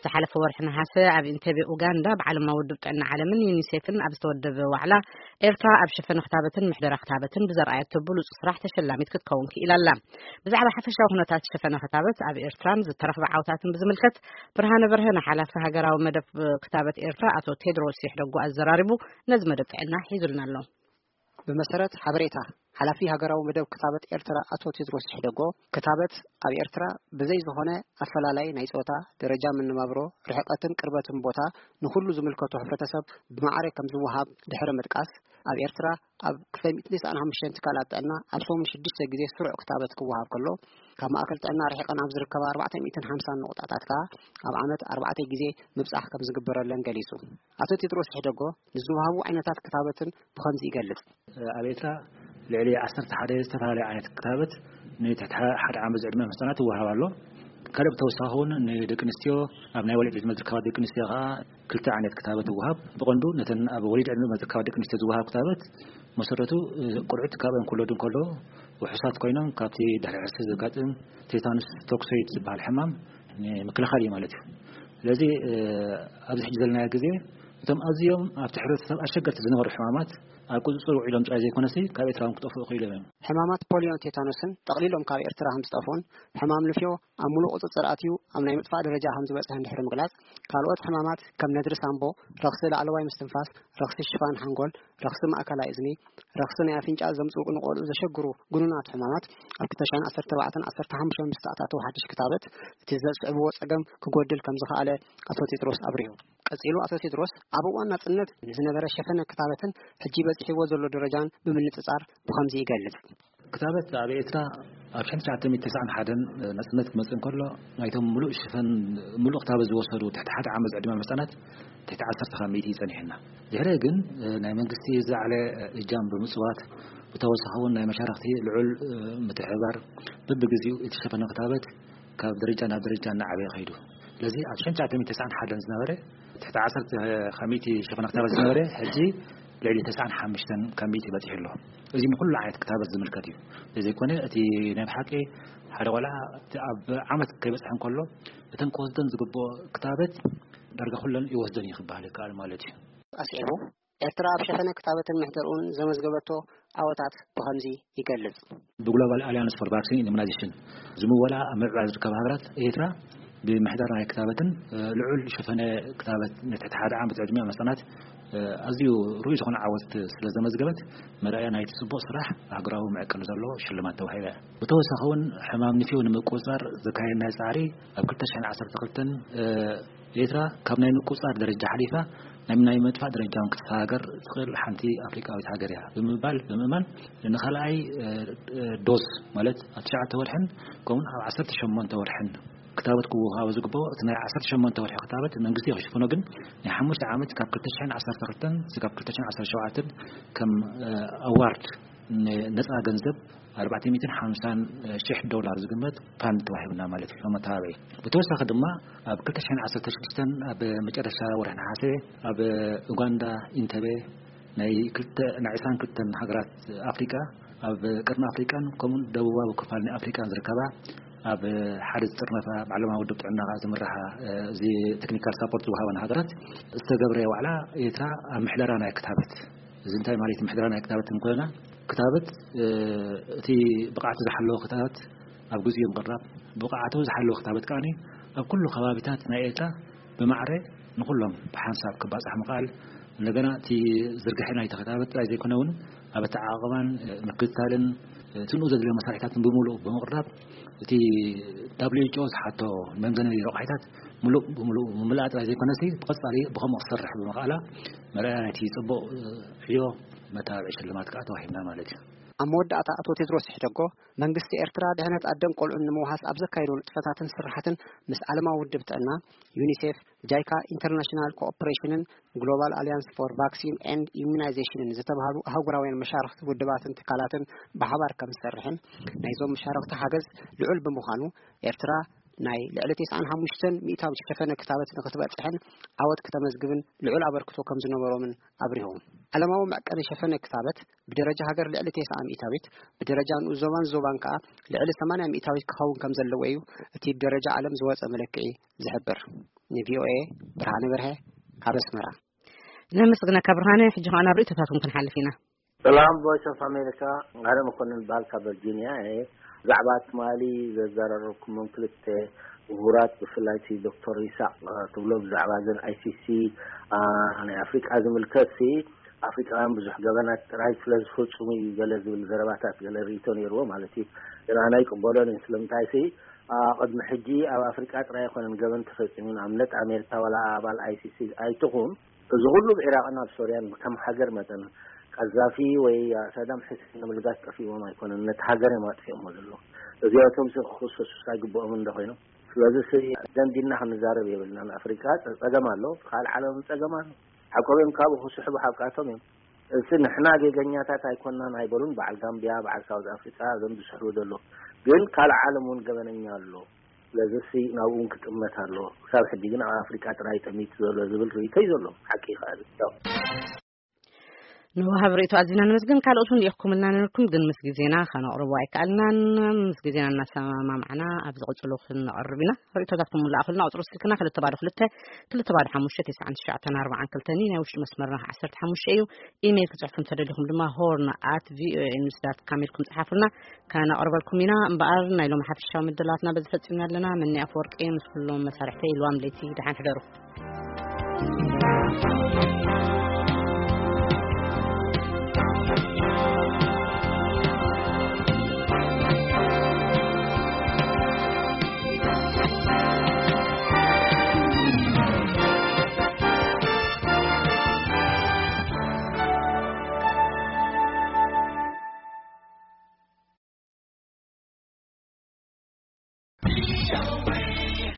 ዝሓለፈ ወርሒ ነሓሰ ኣብ ኢንተቤ ኡጋንዳ ብዓለማዊ ውድብ ጥዕና ዓለምን ዩኒሴፍን ኣብ ዝተወደበ ዋዕላ፣ ኤርትራ ኣብ ሸፈነ ክታበትን ምሕደራ ክታበትን ብዘርኣየቶ ብሉጽ ስራሕ ተሸላሚት ክትከውን ክኢላ ኣላ። ብዛዕባ ሓፈሻዊ ኩነታት ሸፈነ ክታበት ኣብ ኤርትራን ዝተረኽበ ዓወታትን ብዝምልከት፣ ብርሃነ በርሀ ንሓላፊ ሃገራዊ መደብ ክታበት ኤርትራ ኣቶ ቴድሮስ ይሕደጉ ኣዘራሪቡ፣ ነዚ መደብ ጥዕና ሒዙልና ኣሎ። ብመሰረት ሓበሬታ ሓላፊ ሃገራዊ መደብ ክታበት ኤርትራ ኣቶ ቴድሮስ ይሕደጎ፣ ክታበት ኣብ ኤርትራ ብዘይ ዝኾነ ኣፈላላይ ናይ ጾታ፣ ደረጃ መነባብሮ፣ ርሕቀትን ቅርበትን ቦታ ንኹሉ ዝምልከቶ ሕብረተሰብ ብማዕረ ከም ዝወሃብ ድሕሪ ምጥቃስ፣ ኣብ ኤርትራ ኣብ ክልተ ሚእትን ተስዓን ሓሙሽተን ትካላት ጥዕና ኣብ ሰሙን ሽዱሽተ ግዜ ስሩዕ ክታበት ክወሃብ ከሎ፣ ካብ ማእከል ጥዕና ርሒቐን ኣብ ዝርከባ ኣርባዕተ ሚእትን ሓምሳን ነቑጣታት ከኣ ኣብ ዓመት ኣርባዕተ ግዜ ምብጻሕ ከም ዝግበረለን ገሊጹ። ኣቶ ቴድሮስ ሕደጎ ንዝወሃቡ ዓይነታት ክታበትን ብኸምዚ ይገልጽ። ኣብ ኤርትራ ልዕሊ ዓሰርተ ሓደ ዝተፈላለዩ ዓይነት ክታበት ንትሕቲ ሓደ ዓመት ዝዕድመ ህጻናት ይወሃብ ኣሎ። ካልእ ብተወሳኺ እውን ንደቂ ኣንስትዮ፣ ኣብ ናይ ወሊድ ዕድመ ዝርከባ ደቂ ኣንስትዮ ከኣ ክልተ ዓይነት ክታበት ይወሃብ። ብቐንዱ ነተን ኣብ ወሊድ ዕድመ ዝርከባ ደቂ ኣንስትዮ ዝወሃብ ክታበት መሰረቱ፣ እ፣ ቆልዑት ካብ እንክወለዱ እንከሎ ውሑሳት ኮይኖም ካብቲ ድሕሪ ዕርሲ ዘጋጥም ቴታኑስ ቶክሶይድ ዝበሃል ሕማም ንምክልኻል እዩ ማለት እዩ። ስለዚ፣ እ፣ ኣብዚ ሕጂ ዘለናዮ ግዜ እቶም ኣዝዮም ኣብቲ ሕብረተሰብ ኣሸገርቲ ዝነበሩ ሕማማት ኣብ ቁጽጽር ውዒሎም ጥራይ ዘይኮነሲ ካብ ኤርትራ እውን ክጠፍኡ ክኢሎም እዮም። ሕማማት ፖሊዮን ቴታኖስን ጠቕሊሎም ካብ ኤርትራ ከም ዝጠፍኡን ሕማም ንፍዮ ኣብ ሙሉእ ቁጽጽር ኣትዩ ኣብ ናይ ምጥፋእ ደረጃ ከም ዝበጽሐን ድሕሪ ምግላጽ፣ ካልኦት ሕማማት ከም ነድሪ ሳምቦ፣ ረኽሲ ላዕለዋይ ምስትንፋስ፣ ረኽሲ ሽፋን ሓንጎል፣ ረኽሲ ማእከላይ እዝኒ፣ ረኽሲ ናይ ኣፍንጫ ዘምጽኡ ንቖልዑ ዘሸግሩ ግኑናት ሕማማት ኣብ ክልተ ሽሕን ዓሰርተ ኣርባዕተን ዓሰርተ ሓሙሽተን ምስ ተኣታተው ሓድሽ ክታበት፣ እቲ ዘስዕብዎ ጸገም ክጎድል ከም ዝኸኣለ ኣቶ ቴድሮስ ኣብሪሁ። ቀጺሉ ኣቶ ቴድሮስ ኣብ እዋን ናጽነት ንዝነበረ ሸፈነ ክታበትን ሕጂ በጺሕዎ ዘሎ ደረጃን ብምንጽጻር ብኸምዚ ይገልጽ። ክታበት ኣብ ኤርትራ ኣብ ሽሕን ትሽዓተ ሚእትን ተስዓን ሓደን ናጽነት ክመጽእ እንከሎ፣ ናይቶም ምሉእ ሽፈን፣ ምሉእ ክታበት ዝወሰዱ ትሕቲ ሓደ ዓመት ዝዕድመ ህጻናት ትሕቲ ዓሰርተ ካብ ሚእቲ እዩ ጸኒሕና። ድሕሪ ግን ናይ መንግስቲ ዝለዓለ እጃም ብምጽዋት፣ ብተወሳኺ እውን ናይ መሻርኽቲ ልዑል ምትሕብባር፣ በብግዜኡ እቲ ሸፈነ ክታበት ካብ ደረጃ ናብ ደረጃ እናዓበየ ከይዱ። ስለዚ ኣብ ሽሕን ትሽዓተ ሚእትን ተስዓን ሓደን ዝነበረ ትሕቲ ዓሰርተ ካብ ሚእቲ ሸፈነ ክታበት ዝነበረ፣ ሕጂ ልዕሊ ተስዓን ሓሙሽተን ካብ ሚእቲ በጺሑ ኣሎ። እዚ ንኹሉ ዓይነት ክታበት ዝምልከት እዩ። ዘይኮነ እቲ ናይ ብሓቂ ሓደ ቆልዓ እቲ ኣብ ዓመት ከይበጽሐ እንከሎ፣ እተን ክወስደን ዝግብኦ ክታበት ዳርጋ ኩለን ይወስደን እዩ ክበሃል ይከኣል ማለት እዩ። ኣስዒቡ፣ ኤርትራ ኣብ ሸፈነ ክታበትን ምሕደርኡን ዘመዝገበቶ ዓወታት ብኸምዚ ይገልጽ። ብግሎባል ኣልያንስ ፎር ቫክሲን ኢሙናይዜሽን ዝምወላ ኣብ ምዕባይ ዝርከባ ሃገራት፣ ኤርትራ ብምሕዳር ናይ ክታበትን፣ እ፣ ልዑል ሸፈነ ክታበት ንትሕቲ ሓደ ዓመት ዕድሚኦም ህጻናት፣ እ፣ ኣዝዩ ርኡይ ዝኾነ ዓወት ስለ ዘመዝገበት፣ መርኣያ ናይቲ ጽቡቕ ስራሕ ሃገራዊ መዐቀኒ ዘለዎ ሽልማት ተዋሂባ እያ። ብተወሳኺ እውን ሕማም ንፍዮ ንምቁጽጻር ዘካየድናዮ ጻዕሪ ኣብ ክልተ ሽሕን ዓሰርተ ክልተን፣ እ፣ ኤርትራ ካብ ናይ ምቁጽጻር ደረጃ ሓሊፋ ናብ ናይ ምጥፋእ ደረጃ እውን ክትሰጋገር ትኽእል ሓንቲ ኣፍሪቃዊት ሃገር እያ ብምባል፣ ብምእማን ንኻልኣይ፣ እ፣ እ፣ ዶዝ ማለት ኣብ ትሽዓተ ወርሕን ከምኡውን ኣብ ዓሰርተ ሸሞንተ ወርሕን ክታበት ክወሃቦ ዝግብኦ፣ እቲ ናይ ዓሰርተ ሸሞንተ ወርሒ ክታበት መንግስቲ ክሽፍኖ፣ ግን ናይ ሓሙሽተ ዓመት ካብ ክልተ ሽሕን ዓሰርተ ክልተን እስካብ ክልተ ሽሕን ዓሰርተ ሸውዓተን ከም፣ እ፣ ኣዋርድ ንነጻ ገንዘብ ኣርባዕተ ሚእትን ሓምሳን ሽሕ ዶላር ዝግመት ፋንድ ተዋሂቡና ማለት እዩ፣ መተባብዒ። ብተወሳኺ ድማ ኣብ ክልተ ሽሕን ዓሰርተ ሽዱሽተን ኣብ መጨረሻ ወርሒ ነሓሰ ኣብ ኡጋንዳ ኢንተቤ ናይ ክልተ፣ ናይ ዕስራን ክልተን ሃገራት ኣፍሪቃ፣ ኣብ ቀርኒ ኣፍሪቃን ከምኡን ደቡባዊ ክፋል ናይ ኣፍሪቃን ዝርከባ ኣብ ሓደ ዝጥርነፋ ብዓለማዊ ውድብ ጥዕና ዝምርሓ፣ እ፣ እዚ ቴክኒካል ሳፖርት ዝወሃበን ሃገራት ዝተገብረ ዋዕላ ኤርትራ ኣብ ምሕደራ ናይ ክታበት። እዚ እንታይ ማለት እዩ? ምሕደራ ናይ ክታበት እንኮና ክታበት፣ እ፣ እቲ ብቕዓቱ ዝሓለወ ክታበት ኣብ ግዜኡ ምቕራብ፣ ብቕዓቱ ዝሓለወ ክታበት ከኣ ኣብ ኩሉ ከባቢታት ናይ ኤርትራ ብማዕረ ንኹሎም ብሓንሳብ ክባጻሕ ምኽኣል፣ እንደገና እቲ ዝርግሐ ናይቲ ክታበት ጥራይ ዘይኮነ እውን ኣብ ኣተዓቓቕባን፣ እ፣ ምክትታልን፣ እ፣ እቲ ንኡ ዘድልዮ መሳርሒታትን ብምሉእ ብምቕራብ፣ እቲ ደብሊው ኤች ኦ ዝሓቶ መምዘኒ ረቑሒታት ምሉእ ብምሉእ ምምላእ ጥራይ ዘይኮነሲ፣ ብቐጻሊ ብኸምኡ ክሰርሕ ብምኽኣላ መርኣያ ናይቲ ጽቡቕ፣ እ፣ ዕዮ መተባብዒ ሽልማት ከኣ ተዋሂብና ማለት እዩ። ኣብ መወዳእታ ኣቶ ቴድሮስ ሕደጎ፣ መንግስቲ ኤርትራ ድሕነት ኣደን ቆልዑን ንምውሓስ ኣብ ዘካየዶ ንጥፈታትን ስራሓትን ምስ ዓለማዊ ውድብ ጥዕና፣ ዩኒሴፍ፣ ጃይካ፣ ኢንተርናሽናል ኮኦፕሬሽንን ግሎባል ኣልያንስ ፎር ቫክሲን ኤንድ ኢሙናይዜሽንን ዝተባህሉ ኣህጉራውያን መሻርኽቲ ውድባትን ትካላትን ብሓባር ከም ዝሰርሕን፣ ናይዞም መሻርኽቲ ሓገዝ ልዑል ብምዃኑ፣ ኤርትራ ናይ ልዕሊ ተስዓን ሓሙሽተን ሚእታዊት ሸፈነ ክታበት ንክትበጽሕን ዓወት ክተመዝግብን ልዑል ኣበርክቶ ከም ዝነበሮምን ኣብሪሆም። ዓለማዊ መዕቀኒ ሸፈነ ክታበት ብደረጃ ሃገር ልዕሊ ተስዓ ሚእታዊት፣ ብደረጃ ንኡስ ዞባን ዞባን ከኣ ልዕሊ ሰማንያ ሚእታዊት ክኸውን ከም ዘለዎ እዩ እቲ ብደረጃ ዓለም ዝወጸ መለክዒ ዝሕብር። ንቪኦኤ ብርሃነ በርሀ ካብ ኣስመራ። ነመስግነካ ብርሃነ። ሕጂ ከኣ ናብ ርእይቶታትኩም ክንሓልፍ ኢና። ሰላም፣ ቮይስ ኦፍ ኣሜሪካ። ኣነ መኮንን በሃል ካብ ቨርጂኒያ እየ። ብዛዕባ ትማሊ ዘዘራረብኩሞም ክልተ ምሁራት፣ ብፍላይ እቲ ዶክተር ይስሐቅ፣ እ፣ ትብሎ ብዛዕባ እዘን ኣይ ሲ ሲ፣ እ፣ ናይ ኣፍሪቃ ዝምልከት ሲ፣ ኣፍሪቃውያን ብዙሕ ገበናት ጥራይ ስለ ዝፍጽሙ እዩ ገለ ዝብል ዘረባታት፣ ገለ ርእይቶ ነይርዎ ማለት እዩ። ግን ኣነ ኣይቅበሎን እየ። ስለምንታይ ሲ፣ እ፣ ቅድሚ ሕጂ ኣብ ኣፍሪቃ ጥራይ ኣይኮነን ገበን ተፈጺሙ። ንኣብነት ኣሜሪካ ዋላ ኣባል ኣይ ሲ ሲ ኣይትኹን፣ እዚ ኩሉ ኣብ ዒራቕን ኣብ ሶርያን ከም ሃገር መጠን ቀዛፊ ወይ ሳዳም ሕሴን ንምልጋስ ጠፊእዎም ኣይኮነን፣ ነቲ ሃገር እዮም ኣጥፊኦሞ ዘለዉ። እዚኣቶም ሲ ክኽሰሱ ኣይግብኦምን ዶ ኮይኖም? ስለዚ ሲ ደንዲና ክንዛረብ የብልናን። ኣፍሪቃ ጸ-፣ ጸገም ኣሎ፣ ካልእ ዓለም ጸገም ኣሎ። ሓቆም እዮም፣ ካብኡ ክስሕቡ ሓቃቶም እዮም። እዚ ንሕና ጌገኛታት ኣይኮናን ኣይበሉን፣ በዓል ጋምቢያ፣ በዓል ሳውዝ ኣፍሪቃ፣ እዞም ዝስሕቡ ዘለዉ። ግን ካልእ ዓለም እውን ገበነኛ ኣሎ። ስለዚ ሲ ናብኡ እውን ክጥመት ኣሎ። ክሳብ ሕጂ ግን ኣብ ኣፍሪቃ ጥራይ ጠሚቱ ዘሎ ዝብል ርእይቶ እዩ ዘሎ። ሓቂ ይኸኣል። ያው። ንወሃብ ርእይቶ ኣዚና ነመስግን። ካልኦት እውን ልኢኽኩምልና ነበርኩም፣ ግን ምስ ግዜና ከነቕርቦ ኣይከኣልናን። ምስ ግዜና እናሰማማዕና ኣብ ዝቕጽሉ ክንቐርብ ኢና። ርእይቶታትኩም ምልኣኹልና። ቁጽሪ ስልክና ክልተ ባዶ ክልተ፣ ክልተ ባዶ ሓሙሽተ፣ ተስዓን ትሽዓተን ኣርባዓን ክልተን እዩ። ናይ ውሽጢ መስመርና ዓሰርተ ሓሙሽተ እዩ። ኢሜይል ክጽሕፉ እንተደሊኹም ድማ ሆርን ኣት ቪኦኤ ኒውስ ዳት ካም ኢልኩም ጽሓፉልና፣ ከነቕርበልኩም ኢና። እምበኣር ናይ ሎሚ ሓፈሻዊ ምድላትና በዚ ፈጺምና ኣለና። መኒ ኣፈወርቂ ምስ ኩሎም መሳርሕተይ ኢልዋም ለይቲ፣ ደሓን ሕደሩ።